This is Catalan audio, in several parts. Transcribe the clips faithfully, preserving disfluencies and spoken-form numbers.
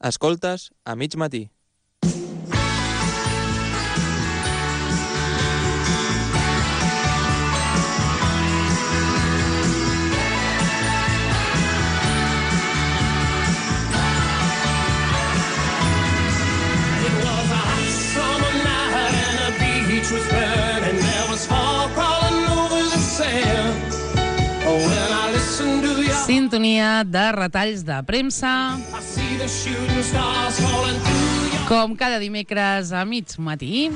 Escoltes a mig matí. Sintonia de retalls de premsa, com cada dimecres a mig matí.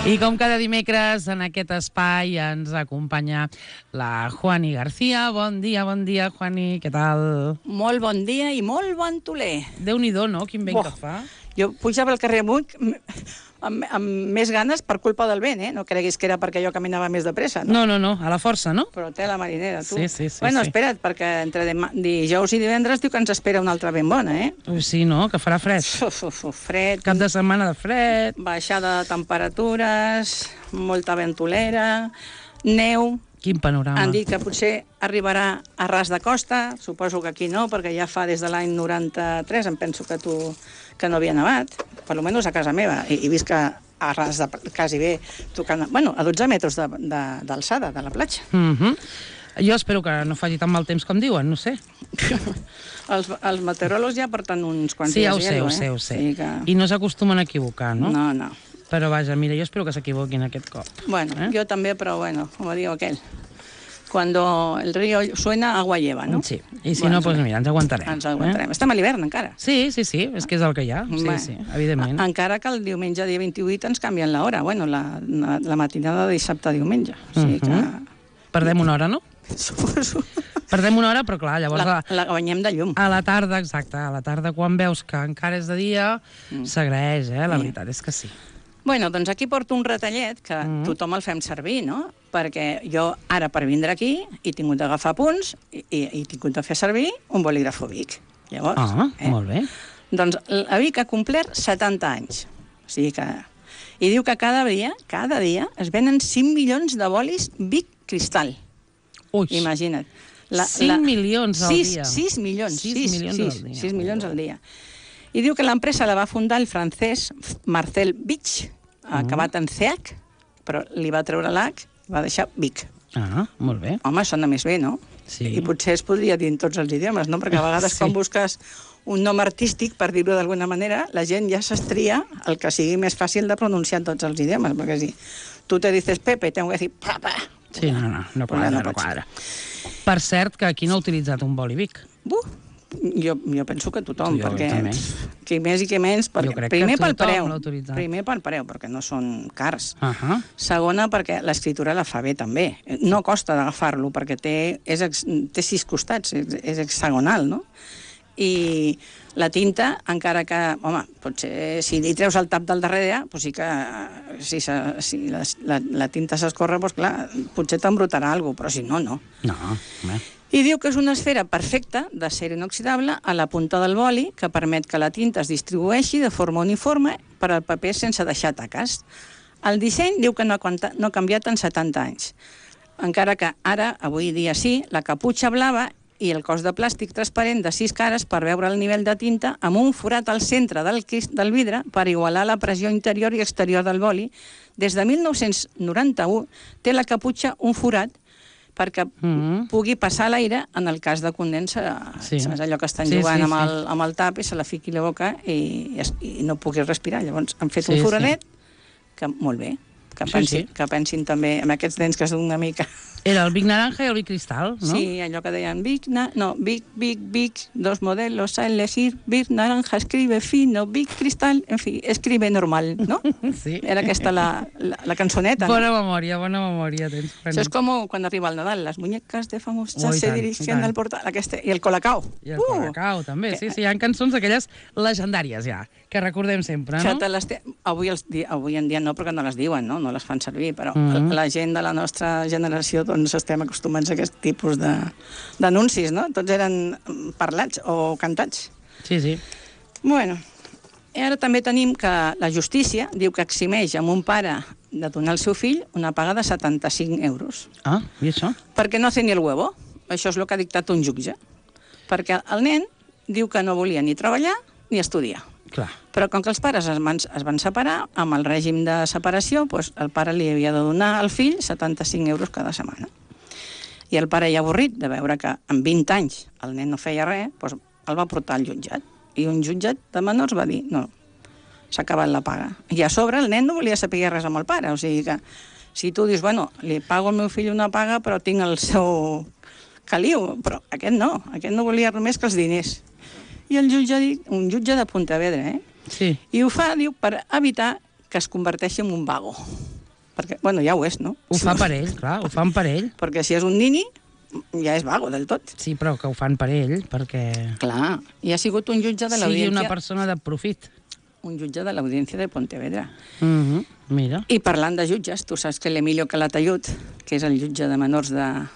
I com cada dimecres en aquest espai ens acompanya la Juani García. Bon dia, bon dia, Juani, què tal? Molt bon dia i molt bon toler. Déu-n'hi-do, no? Quin vent oh, que fa. Jo pujava al carrer amunt amb, amb més ganes per culpa del vent, eh? No creguis que era perquè jo caminava més de pressa, no? No, no, no, a la força, no? Però té la marinera, tu. Sí, sí, sí. Bueno, sí. espera't, perquè entre dijous i divendres diu que ens espera una altra ben bona, eh? Ui, sí, no? Que farà fred. Uf, uf, uf, fred. Cap de setmana de fred. Baixada de temperatures, molta ventolera, neu. Quin panorama. Han dit que potser arribarà a ras de costa, suposo que aquí no, perquè ja fa des de l'any noranta-tres, em penso que tu que no havia nevat, per almenys a casa meva, i, i visc a, a ras de quasi bé, tocant, bueno, a dotze metres d'alçada de, de, de la platja. Mm-hmm. Jo espero que no faci tan mal temps com diuen, no sé. els, els meteoròlegs ja porten uns quants sí, dies. Ja ho sé, hielo, ho sé, eh? ho sé. Sí que... I no s'acostumen a equivocar, no? No, no. Però vaja, mira, jo espero que s'equivoquin aquest cop. Bueno, eh? jo també, però bueno, com diu aquell. Cuando el río suena, agua lleva, no? Sí, i si bueno, no, doncs mira, ens aguantarem. Ens aguantarem. Eh? Estem a l'hivern, encara. Sí, sí, sí, és que és el que hi ha. Sí, bueno, sí, evidentment. Encara que el diumenge dia vint-i-vuit ens canvien l'hora, bueno, la, la, la matinada de dissabte a diumenge. O sigui que... Uh-huh. Perdem una hora, no? Suposo. Perdem una hora, però clar, llavors... La, la guanyem de llum. A la tarda, exacte, a la tarda, quan veus que encara és de dia, mm. s'agraeix, eh? La veritat és que sí. Bueno, doncs aquí porto un retallet que mm. tothom el fem servir, no? Perquè jo ara per vindre aquí he tingut d'agafar punts i, i he tingut de fer servir un bolígrafo Bic. Llavors, ah, eh? molt bé. Doncs la Bic ha complert setanta anys. O sigui que... I diu que cada dia, cada dia, es venen cinc milions de bolis Bic Cristal. Ui. Imagina't. La, cinc la... milions al sis, dia. sis milions. sis sis, milions sis, al dia. sis milions al dia. I diu que l'empresa la va fundar el francès Marcel Bic, acabat en C H, però li va treure l'H, va deixar Bic. Ah, molt bé. Home, sona més bé, no? Sí. I potser es podria dir en tots els idiomes, no? Perquè a vegades sí. Quan busques un nom artístic, per dir-ho d'alguna manera, la gent ja s'estria el que sigui més fàcil de pronunciar en tots els idiomes, perquè si tu te dices Pepe, tengo que dir papa. Sí, no, no, no quadra, no, no quadra. Per cert, que aquí no ha utilitzat un boli Bic. Buh! Jo, jo penso que tothom, jo, perquè també. qui més i qui menys, perquè primer pel preu, primer pel preu, perquè no són cars. Uh -huh. Segona, perquè l'escriptura la fa bé també. No costa d'agafar-lo, perquè té, és, té sis costats, és, és hexagonal, no? I la tinta, encara que, home, potser si li treus el tap del darrere, doncs sí que si, si la, la, la tinta s'escorre, doncs clar, potser t'embrutarà alguna cosa, però si no, no. No, home. I diu que és una esfera perfecta d'acer inoxidable a la punta del boli que permet que la tinta es distribueixi de forma uniforme per al paper sense deixar taques. El disseny diu que no ha, no ha canviat en setanta anys. Encara que ara, avui dia sí, la caputxa blava i el cos de plàstic transparent de sis cares per veure el nivell de tinta amb un forat al centre del, del vidre per igualar la pressió interior i exterior del boli. Des de mil nou-cents noranta-u té la caputxa un forat perquè mm-hmm. pugui passar l'aire en el cas de condensa. Sí. És allò que estan sí, jugant sí, amb, el, sí. amb el tap i se la fiqui a la boca i, i no pugui respirar. Llavors han fet sí, un foradet sí. que molt bé, que pensin, sí, sí. que pensin també en aquests dents que són una mica... Era el Bic naranja i el Bic cristal, no? Sí, allò que deien Bic, na... no, Bic, Bic, Bic, dos modelos a elegir, Bic naranja escribe fino, Bic cristal, en fi, escribe normal, no? Sí. Era aquesta la, la, la cançoneta. Bona no? memòria, bona memòria tens. Això és com quan arriba el Nadal, les muñecas de famós ja se dirigen al portal, aquesta, i el Colacao. I el uh! Colacao, també, sí, sí, hi ha cançons d'aquelles legendàries ja, que recordem sempre, no? Te avui, els, avui en dia no, perquè no les diuen, no? No les fan servir, però mm-hmm. la gent de la nostra generació doncs estem acostumats a aquest tipus d'anuncis, no? Tots eren parlats o cantats. Sí, sí. Bueno, I ara també tenim que la justícia diu que eximeix a un pare de donar al seu fill una paga de setanta-cinc euros. Ah, i això? Perquè no hace ni el huevo. Això és el que ha dictat un jutge. Perquè el nen diu que no volia ni treballar ni estudiar. Clar. Però com que els pares es van, es van separar, amb el règim de separació, doncs el pare li havia de donar al fill setanta-cinc euros cada setmana. I el pare, ja avorrit de veure que en vint anys el nen no feia res, doncs el va portar al jutjat. I un jutjat de menors va dir, no, s'ha acabat la paga. I a sobre el nen no volia saber res amb el pare, o sigui que si tu dius, bueno, li pago al meu fill una paga però tinc el seu caliu, però aquest no, aquest no volia res més que els diners. I el jutge ha dit, un jutge de Pontevedra, eh? Sí. I ho fa, diu, per evitar que es converteixi en un vago. Perquè, bueno, ja ho és, no? Ho fa per ell, clar, ho fan per ell. Perquè si és un nini, ja és vago del tot. Sí, però que ho fan per ell, perquè... Clar, i ha sigut un jutge de sigui l'audiència... una persona de profit. Un jutge de l'audiència de Pontevedra. Uh -huh. Mira. I parlant de jutges, tu saps que l'Emilio Calatayud, que és el jutge de menors de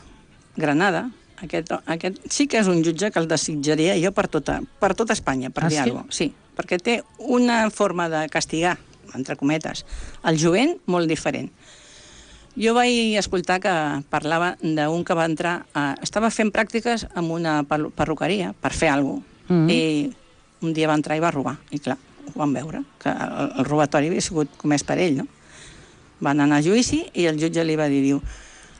Granada, aquest, aquest sí que és un jutge que el desitjaria jo per tota, per tota Espanya, per ah, dir sí? alguna cosa. Sí, perquè té una forma de castigar, entre cometes, el jovent molt diferent. Jo vaig escoltar que parlava d'un que va entrar... A, estava fent pràctiques en una perruqueria per fer alguna cosa, mm -hmm. i un dia va entrar i va robar. I clar, ho van veure, que el, el robatori havia sigut comès per ell, no? Van anar a judici i el jutge li va dir, diu,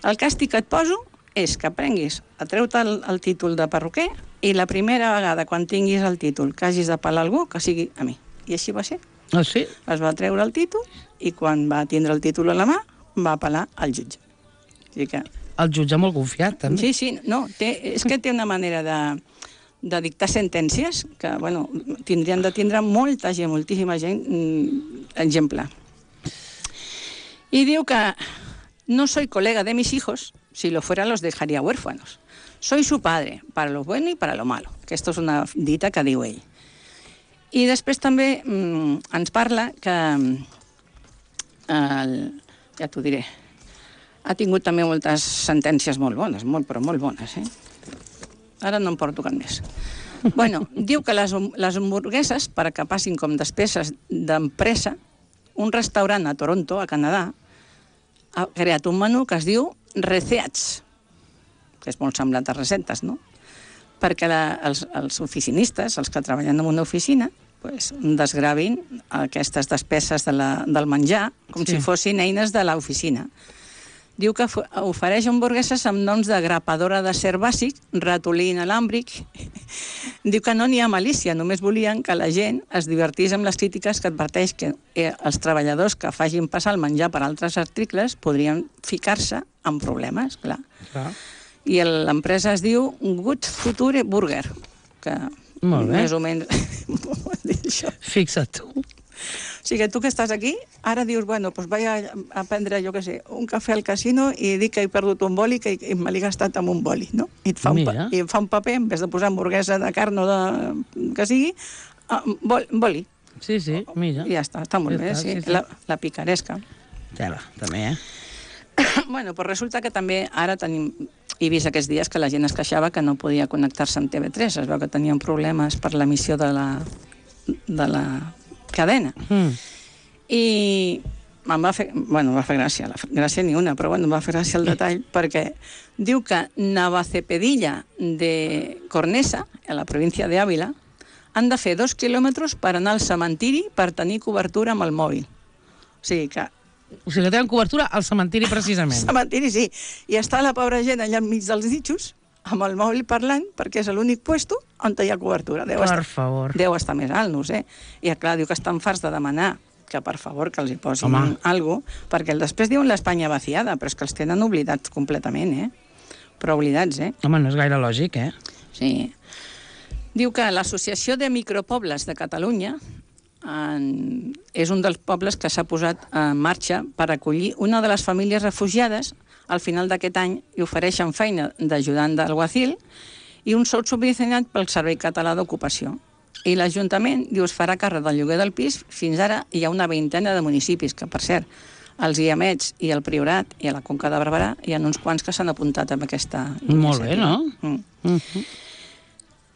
el càstig que et poso és que aprenguis a treure el, el títol de perruquer i la primera vegada quan tinguis el títol que hagis de pelar algú, que sigui a mi. I així va ser. Ah, sí? Es va treure el títol i quan va tindre el títol a la mà va apel·lar al jutge. O sigui que... El jutge molt confiat, també. Sí, sí, no, té, és que té una manera de, de dictar sentències que, bueno, tindrien de tindre molta gent, moltíssima gent, mm, exemple. I diu que no soy colega de mis hijos, si lo fuera los dejaría huérfanos. Soy su padre, para lo bueno y para lo malo. Que esto és una dita que diu ell. I després també mm, ens parla que, el, ja t'ho diré, ha tingut també moltes sentències molt bones, molt, però molt bones, eh? Ara no em porto cap més. Bueno, diu que les, les hamburgueses, per que passin com despeses d'empresa, un restaurant a Toronto, a Canadà, ha creat un menú que es diu Receats, que és molt semblant a receptes, no? Perquè la, els, els oficinistes, els que treballen en una oficina, pues, desgravin aquestes despeses de la, del menjar com sí. si fossin eines de l'oficina. Diu que ofereix hamburgueses amb noms de grapadora d'acer bàsic, ratolí inalàmbric. Diu que no n'hi ha malícia, només volien que la gent es divertís amb les crítiques que adverteix que eh, els treballadors que facin passar el menjar per altres articles podrien ficar-se en problemes, clar. clar. I l'empresa es diu Good Future Burger, que molt bé. Més o menys... Fixa't tu. O sigui, tu que estàs aquí, ara dius, bueno, doncs vaig a, a prendre, jo què sé, un cafè al casino i dic que he perdut un boli que i me l'he gastat amb un boli, no? I et fa un, pa, i et fa un paper, en vez de posar hamburguesa de carn o de... que sigui, bol, boli. Sí, sí, mira. I ja està, està molt ja bé, està, sí. sí, sí. La, la picaresca. Tela, també, eh? Bueno, doncs resulta que també ara tenim... He vist aquests dies que la gent es queixava que no podia connectar-se amb T V tres. Es veu que tenien problemes per l'emissió de la, de la cadena. Mm. I em va fer... Bueno, em va fer gràcia. La gràcia ni una, però bueno, em va fer gràcia el detall perquè diu que Navacepedilla de Cornesa, a la província de Ávila, han de fer dos quilòmetres per anar al cementiri per tenir cobertura amb el mòbil. O sigui que O sigui que tenen cobertura al cementiri, precisament. Al cementiri, sí. I està la pobra gent allà enmig dels ditxos, amb el mòbil parlant, perquè és l'únic puesto on hi ha cobertura. Deu per estar, favor. Deu estar més alt, no ho sé. I clar, diu que estan farts de demanar que, per favor, que els hi posin Home. alguna cosa, perquè després diuen l'Espanya vaciada, però és que els tenen oblidats completament, eh? Però oblidats, eh? Home, no és gaire lògic, eh? Sí. Diu que l'Associació de Micropobles de Catalunya En, és un dels pobles que s'ha posat en marxa per acollir una de les famílies refugiades al final d'aquest any i ofereixen feina d'ajudant d'alguacil i un sou subvencionat pel Servei Català d'Ocupació. I l'Ajuntament diu es farà càrrec del lloguer del pis. Fins ara hi ha una vintena de municipis que, per cert, els Guiamets i el Priorat i a la Conca de Barberà hi ha uns quants que s'han apuntat amb aquesta iniciativa. Molt bé, no? Mm. Mm-hmm.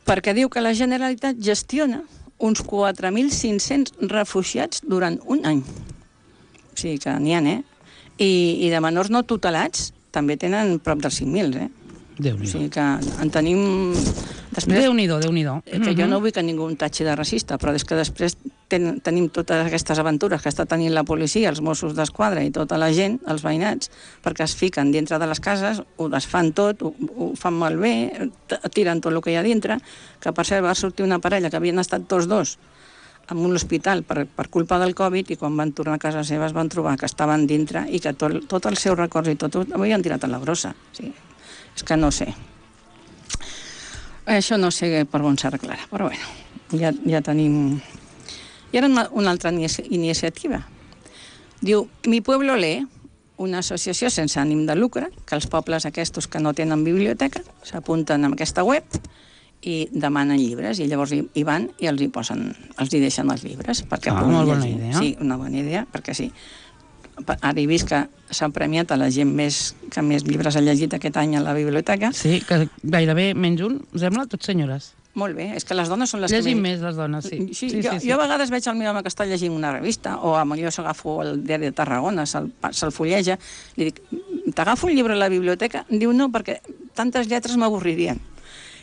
Perquè diu que la Generalitat gestiona uns quatre mil cinc-cents refugiats durant un any. O sigui que n'hi ha, eh? I, I de menors no tutelats també tenen prop dels cinc mil, eh? Déu-n'hi-do. O sigui que en tenim... Després, Déu-n'hi-do, Déu-n'hi-do. que jo no vull que ningú tatxi de racista, però és que després ten, tenim totes aquestes aventures que està tenint la policia, els Mossos d'Esquadra i tota la gent, els veïnats, perquè es fiquen dintre de les cases, ho desfan tot, ho, ho fan malbé, tiren tot el que hi ha dintre, que per cert va sortir una parella que havien estat tots dos en un hospital per, per culpa del Covid i quan van tornar a casa seva es van trobar que estaven dintre i que tot, tot els seus records i tot ho havien tirat a la brossa. Sí. És que no sé. Això no sé per on s'arreglarà, però bueno, ja, ja tenim... I ara una, una altra iniciativa. Diu, Mi Pueblo Lee, una associació sense ànim de lucre, que els pobles aquests que no tenen biblioteca s'apunten a aquesta web i demanen llibres, i llavors hi, hi van i els hi posen, els hi deixen els llibres perquè ah, puguin molt bona llegir. idea. Sí, una bona idea, perquè sí. Ara he vist que s'han premiat a la gent més, que més llibres ha llegit aquest any a la biblioteca. Sí, que gairebé menys un, sembla, tots senyores. Molt bé, és que les dones són les Llegim que... més, les dones, sí. Sí, sí, jo, sí, sí. jo a vegades veig el meu home que està llegint una revista, o a millor s'agafo el diari de Tarragona, se'l se fulleja, li dic, t'agafo un llibre a la biblioteca? Diu, no, perquè tantes lletres m'avorririen.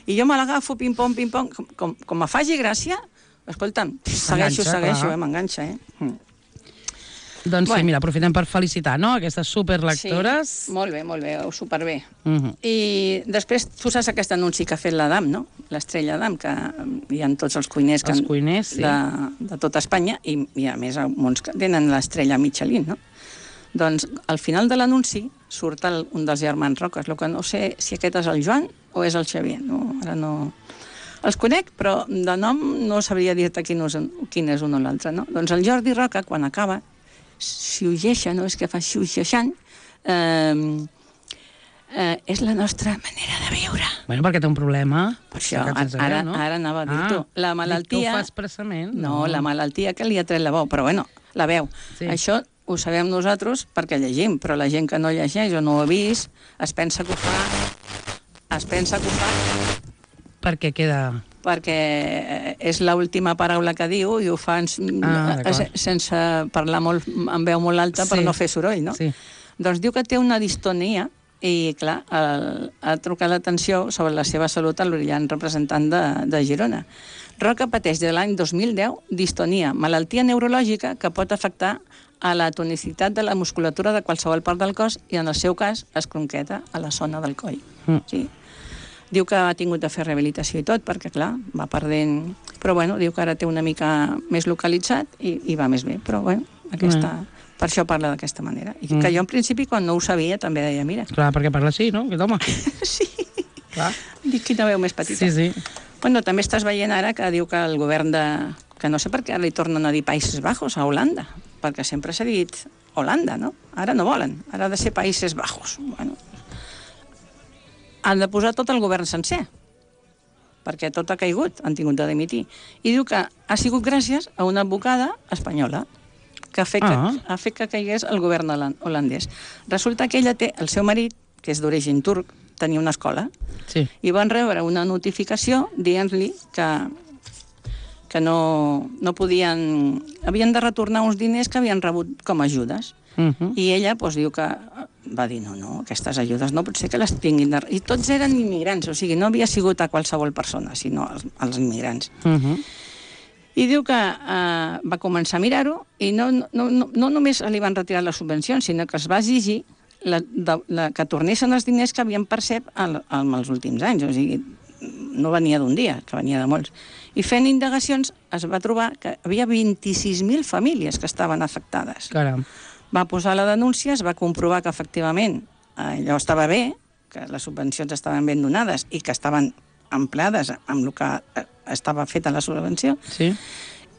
I jo me l'agafo, pim-pom, pim-pom, com, com, com me faci gràcia, escolta'm, segueixo, segueixo, eh, m'enganxa, eh? Mm. Doncs Bueno. sí, mira, aprofitem per felicitar, no?, aquestes superlectores. Sí, molt bé, molt bé, superbé. Uh -huh. I després, tu saps aquest anunci que ha fet l'Adam, no? L'estrella Adam, que hi ha tots els cuiners, que Els cuiners, sí. de, de tota Espanya, i, i a més molts que tenen l'estrella Michelin, no? Doncs al final de l'anunci surt el, un dels germans Roques, el que no sé si aquest és el Joan o és el Xavier, no? Ara no... Els conec, però de nom no sabria dir-te quin, és, quin és un o l'altre, no? Doncs el Jordi Roca, quan acaba, xiugeja, no? És que fa xiugejant, eh, eh, és la nostra manera de viure. Bueno, perquè té un problema. Per això, Que tens ara, veu, no? ara anava a dir-t'ho. Ah, La malaltia... dic que ho fa expressament. No, la malaltia que li ha tret la veu, però bueno, la veu. Sí. Això ho sabem nosaltres perquè llegim, però la gent que no llegeix o no ho ha vist es pensa que ho fa... Es pensa que ho fa... Perquè queda... perquè és l'última paraula que diu i ho fa en, Ah, eh, sense parlar molt, amb veu molt alta, Sí. per no fer soroll, no? Sí. Doncs diu que té una distonia i, clar, el, ha trucat l'atenció sobre la seva salut a l'orillant representant de, de Girona. Roca pateix de l'any dos mil deu distonia, malaltia neurològica que pot afectar a la tonicitat de la musculatura de qualsevol part del cos i, en el seu cas, es concreta a la zona del coll. Mm. Sí. Diu que ha tingut de fer rehabilitació i tot, perquè, clar, va perdent... Però, bueno, diu que ara té una mica més localitzat i, i va més bé. Però, bueno, aquesta... Mm. Per això parla d'aquesta manera. I que Mm. jo, en principi, quan no ho sabia, també deia, mira... Clar, perquè parla així, no? Aquest home. Sí. Clar. Dic, quina veu més petita. Sí, sí. Bueno, també estàs veient ara que diu que el govern de... Que no sé per què ara li tornen a dir Països Bajos, a Holanda, perquè sempre s'ha dit Holanda, no? Ara no volen, ara ha de ser Països Bajos. Bueno, han de posar tot el govern sencer, perquè tot ha caigut, han tingut de dimitir. I diu que ha sigut gràcies a una advocada espanyola que ha fet, Ah. que, ha fet que caigués el govern holan- holandès. Resulta que ella té, el seu marit, que és d'origen turc, tenia una escola, Sí. i van rebre una notificació dient-li que, que no, no podien... Havien de retornar uns diners que havien rebut com a ajudes. Uh -huh. I ella doncs, diu que va dir, no, no, aquestes ajudes no pot ser que les tinguin de... I tots eren immigrants, o sigui, no havia sigut a qualsevol persona, sinó als, als immigrants. Uh -huh. I diu que eh, va començar a mirar-ho i no, no, no, no només li van retirar les subvencions, sinó que es va exigir la, de, la, que tornessin els diners que havien percep al, al, els últims anys. O sigui, no venia d'un dia, que venia de molts. I fent indagacions es va trobar que havia vint-i-sis mil famílies que estaven afectades. Caram. Va posar la denúncia, es va comprovar que efectivament allò estava bé, que les subvencions estaven ben donades i que estaven empleades amb el que estava feta la subvenció, Sí.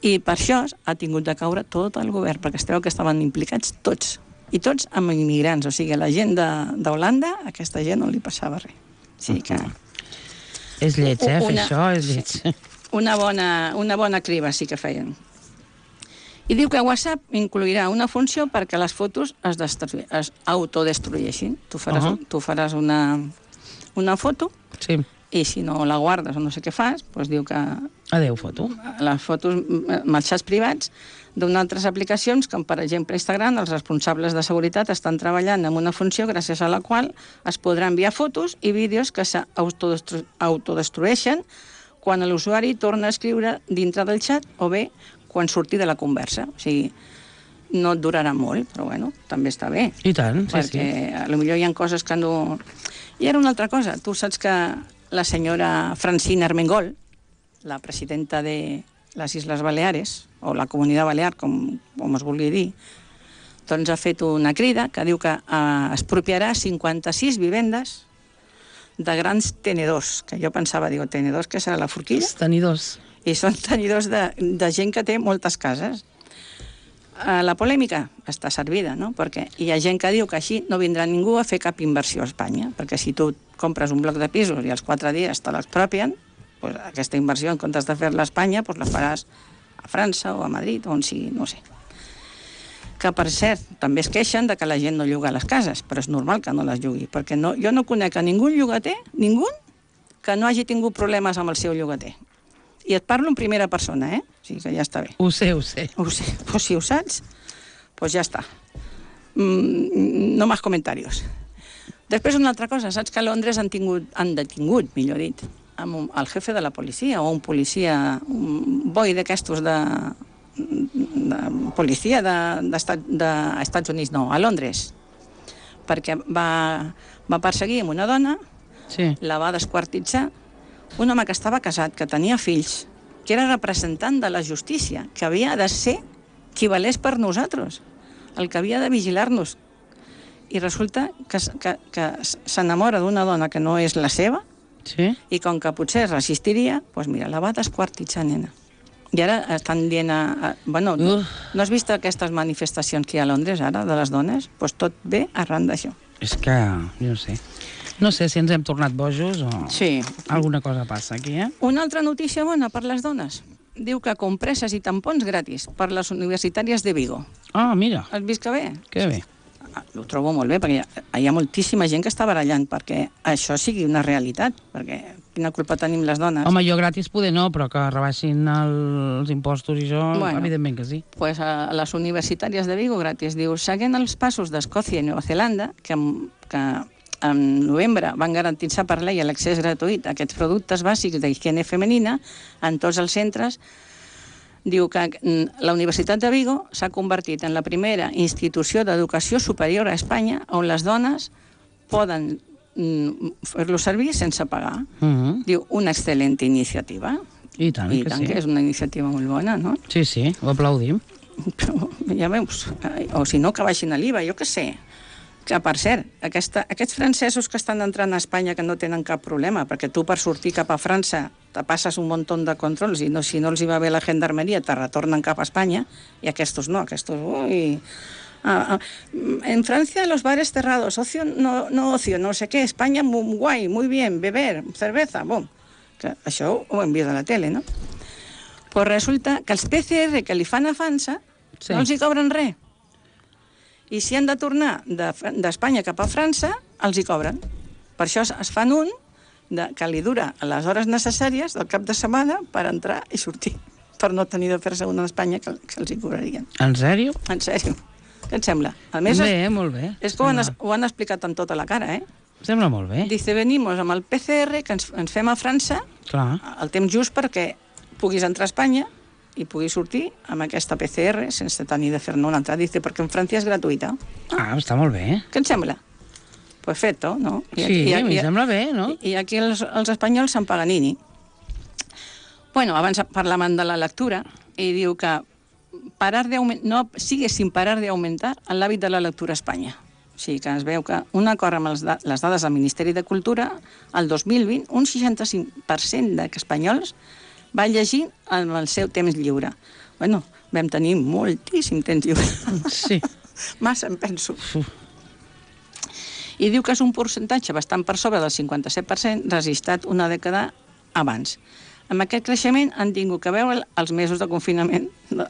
i per això ha tingut de caure tot el govern, perquè es creu que estaven implicats tots, i tots amb immigrants, o sigui, la gent d'Holanda, a aquesta gent no li passava res. O sigui que... És lleig, eh, fer Una- això, és lleig. Una bona, una bona criba sí que feien. I diu que WhatsApp incluirà una funció perquè les fotos es, destrui, es autodestrueixin. Tu faràs, Uh-huh. tu faràs una, una foto Sí. i si no la guardes o no sé què fas, doncs diu que Adéu, foto. les fotos amb els xats privats d'unes altres aplicacions, com per exemple Instagram, els responsables de seguretat estan treballant en una funció gràcies a la qual es podran enviar fotos i vídeos que s'autodestrueixen quan l'usuari torna a escriure dintre del xat o bé quan surti de la conversa. O sigui, no et durarà molt, però bueno, també està bé. I tant, sí, sí. Perquè potser hi ha coses que no... I era una altra cosa. Tu saps que la senyora Francina Armengol, la presidenta de les Isles Baleares, o la Comunitat Balear, com, com es vulgui dir, doncs ha fet una crida que diu que eh, expropiarà cinquanta-sis vivendes de grans tenedors, que jo pensava, digo, tenedors, que serà la forquilla? Els tenidors. I són tenidors de, de gent que té moltes cases. Eh, la polèmica està servida, no? Perquè hi ha gent que diu que així no vindrà ningú a fer cap inversió a Espanya, perquè si tu compres un bloc de pisos i als quatre dies te l'expropien, pues aquesta inversió, en comptes de fer-la a Espanya, pues la faràs a França o a Madrid, o on sigui, no sé. Que, per cert, també es queixen de que la gent no lloga les cases, però és normal que no les llogui, perquè no, jo no conec a ningú llogater, ningú, que no hagi tingut problemes amb el seu llogater. I et parlo en primera persona, eh? O sigui que ja està bé. Ho sé, ho sé. Ho sé. Pues si ho saps, pues ja està. Mm, no més comentaris. Després una altra cosa, saps que a Londres han, tingut, han detingut, millor dit, amb un, el jefe de la policia, o un policia, un boi d'aquestos de, de policia d'Estats de, de, de Units, no, a Londres, perquè va, va perseguir amb una dona, Sí. la va desquartitzar, un home que estava casat, que tenia fills, que era representant de la justícia, que havia de ser qui valés per nosaltres, el que havia de vigilar-nos. I resulta que, que, que s'enamora d'una dona que no és la seva, Sí? i com que potser resistiria, doncs mira, la va desquartitzar, nena. I ara estan dient... A, a, bueno, no, Uf. no has vist aquestes manifestacions que hi ha a Londres ara, de les dones? Doncs tot ve arran d'això. És que, jo no sé. No sé si ens hem tornat bojos o Sí. alguna cosa passa aquí, eh? Una altra notícia bona per les dones. Diu que compreses i tampons gratis per les universitàries de Vigo. Ah, mira, Has vist que bé? que bé. Ah, ho trobo molt bé, perquè hi ha, hi ha moltíssima gent que està barallant perquè això sigui una realitat, perquè quina culpa tenim les dones. Home, jo gratis poder no, però que rebaixin els impostos i això, Bueno. evidentment que sí. Pues a les universitàries de Vigo gratis. Diu, seguint els passos d'Escòcia i Nova Zelanda, que, que en novembre van garantir-se per llei l'accés gratuït a aquests productes bàsics d'higiene femenina en tots els centres, diu que la Universitat de Vigo s'ha convertit en la primera institució d'educació superior a Espanya on les dones poden fer-lo servir sense pagar. Uh -huh. Diu, una excel·lent iniciativa. I tant, I que tant sí. que és una iniciativa molt bona, no? Sí, sí, ho aplaudim. Però ja veus, o si no, que baixin a l'I V A, jo què sé. Que, per cert, aquesta, aquests francesos que estan entrant a Espanya que no tenen cap problema, perquè tu per sortir cap a França te passes un munt de controls i no, si no els hi va bé la gendarmeria te retornen cap a Espanya, i aquestos no, aquestos... Ui, ah, ah, en Francia los bares cerrados, ocio, no, no ocio, no sé què, Espanya muy guai, muy bien, beber, cerveza, bom. Que això ho hem vist a la tele, no? Pues resulta que els P C R que li fan a França Sí. no els hi cobren res. I si han de tornar d'Espanya cap a França, els hi cobren. Per això es fan un de, que li dura les hores necessàries del cap de setmana per entrar i sortir, per no tenir de fer-se un a Espanya que, que els hi cobrarien. En sèrio? En sèrio. Què et sembla? A més, Bé, molt bé. és que ho han, Sembla- ho han explicat amb tota la cara, eh? Sembla molt bé. Dice, venimos amb el P C R que ens, ens fem a França Clar. el temps just perquè puguis entrar a Espanya i puguis sortir amb aquesta P C R sense tenir de fer-ne una altra. Dice, perquè en França és gratuïta. Ah, està molt bé. Què et sembla? Perfecto, no? I, Sí, i, a mi i, sembla bé, no? I, i aquí els, els espanyols se'n Paganini. Bueno, abans parlàvem de la lectura i diu que parar de no sigue sin parar de aumentar l'hàbit de la lectura a Espanya. O sigui que es veu que un acord amb els da les dades del Ministeri de Cultura, el dos mil vint, un seixanta-cinc per cent d'espanyols va llegir en el seu temps lliure. Bueno, vam tenir moltíssim temps lliure. Sí. Massa, em penso. Uf. I diu que és un percentatge bastant per sobre del cinquanta-set per cent registrat una dècada abans. Amb aquest creixement han tingut que veure els mesos de confinament de,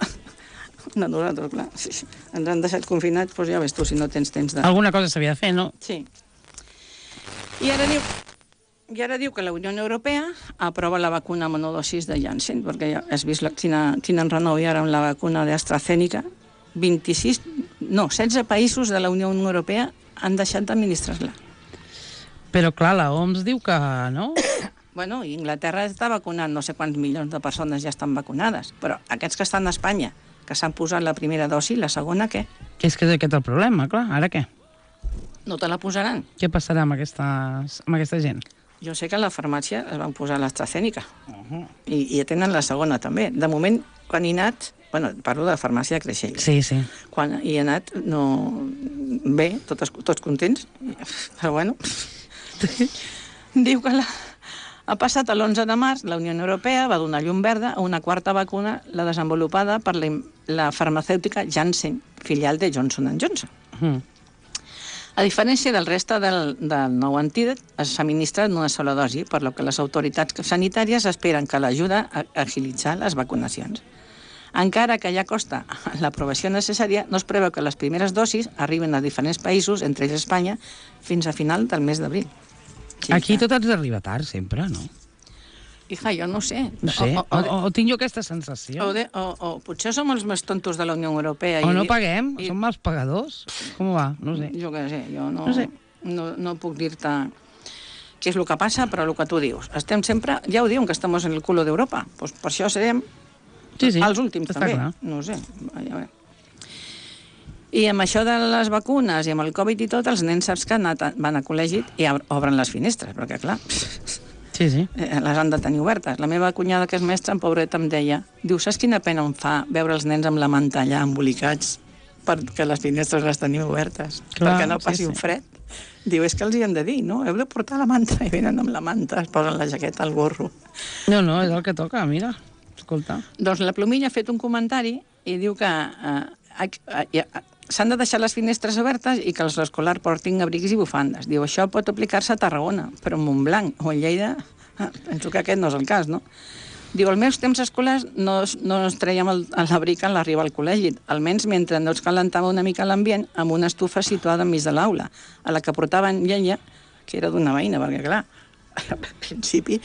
de nosaltres, clar. Sí, sí. Ens han deixat confinats, doncs ja ves tu, si no tens temps de... Alguna cosa s'havia de fer, no? Sí. I ara diu... I ara diu que la Unió Europea aprova la vacuna monodosis de Janssen, perquè ja has vist la, quina, quin enrenou hi ha ara amb la vacuna d'AstraZeneca. vint-i-sis, no, setze països de la Unió Europea han deixat d'administrar-la. Però clar, la O M S diu que no. Bueno, Inglaterra està vacunant, no sé quants milions de persones ja estan vacunades, però aquests que estan a Espanya, que s'han posat la primera dosi, la segona, què? Que és que és aquest el problema, clar. Ara què? No te la posaran. Què passarà amb, aquestes, amb aquesta gent? Jo sé que a la farmàcia es van posar l'AstraZeneca Uh-huh. i, i tenen la segona també. De moment, quan hi he anat, bueno, parlo de la farmàcia de Creixell, Sí, sí. quan hi he anat, no... bé, tots, tots contents, però bueno, diu que la... ha passat l'onze de març, la Unió Europea va donar llum verda a una quarta vacuna, la desenvolupada per la, la farmacèutica Janssen, filial de Johnson and Johnson. Uh-huh. A diferència del reste del, del nou antídot, es administra en una sola dosi, per lo que les autoritats sanitàries esperen que l'ajuda a agilitzar les vacunacions. Encara que ja costa l'aprovació necessària, no es preveu que les primeres dosis arriben a diferents països, entre ells Espanya, fins a final del mes d'abril. Sí, Aquí que... tot ens arriba tard, sempre, no? Hija, jo no sé. No sé, O, o, o, de, o, o tinc jo aquesta sensació. o, de, o, o potser som els més tontos de la Unió Europea. O i, no paguem, i, som mals pagadors. Com va? No ho sé. Jo què sé, jo no, No sé. no, no puc dir-te què és el que passa, però el que tu dius. Estem sempre, ja ho diuen, que estem en el culo d'Europa. Pues per això serem Sí, sí, els últims, està també. clar. No ho sé. Ja veurem. I amb això de les vacunes i amb el Covid i tot, els nens saps que han anat, van a col·legi i obren les finestres, perquè clar, Sí, sí. eh, les han de tenir obertes. La meva cunyada, que és mestra, en pobreta, em deia, diu, saps quina pena em fa veure els nens amb la manta allà embolicats perquè les finestres les tenim obertes, Clar, perquè no sí, passi sí. un fred? Diu, és que els hi han de dir, no? Heu de portar la manta, i venen amb la manta, es posen la jaqueta al gorro. No, no, és el que toca, mira. Escolta. Doncs la Plomilla ha fet un comentari i diu que eh, eh, eh, s'han de deixar les finestres obertes i que els escolars portin abrics i bufandes. Diu, això pot aplicar-se a Tarragona, però a Montblanc o a Lleida, eh, penso que aquest no és el cas, no? Diu, als meus temps escolars no, no ens traiem l'abric en l'arribar al col·legi, almenys mentre no ens calentava una mica l'ambient amb una estufa situada enmig de l'aula, a la que portaven llenya, que era d'una veïna, perquè clar, al principi,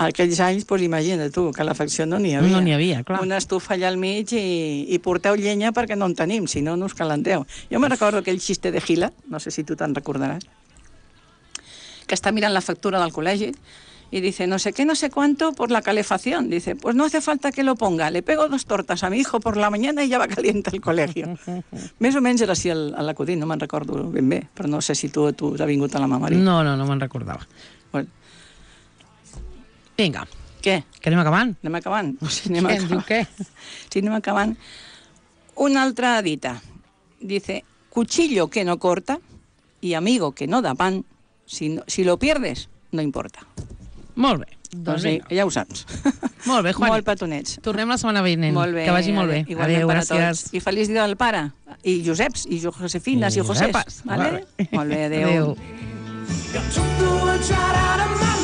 aquells anys, doncs imagina't tu, que l'afecció no n'hi havia. No n'hi havia, clar. Una estufa allà al mig i, i porteu llenya perquè no en tenim, si no, no us calenteu. Jo me recordo aquell xiste de Gila, no sé si tu te'n recordaràs, que està mirant la factura del col·legi y dice, no sé qué, no sé cuánto por la calefacción. Dice, pues no hace falta que lo ponga, le pego dos tortas a mi hijo por la mañana y ya va caliente el colegio. Més o menys era així l'acudit, no me'n recordo ben bé, però no sé si tu, tu t'ha vingut a la memòria. No, no, no me'n recordava. Bueno, Vinga, què? que anem acabant. Anem acabant? O sigui, anem Què, em diu acabant. què? Sí, anem acabant. Una altra dita. Dice, cuchillo que no corta y amigo que no da pan, si, no, si lo pierdes, no importa. Molt bé. Doncs Doncs sí, vinga. ja ho saps. Molt bé, Juani. Molt petonets. Tornem la setmana vinent. Molt bé. Que vagi molt bé. Igualment Adéu, per a gràcies. tots. I feliç dia del pare. I Joseps, i Josefines, i, I Josés. Josepes. Vale? Vale. Molt bé, adéu. Adéu. Got to throw a child out of my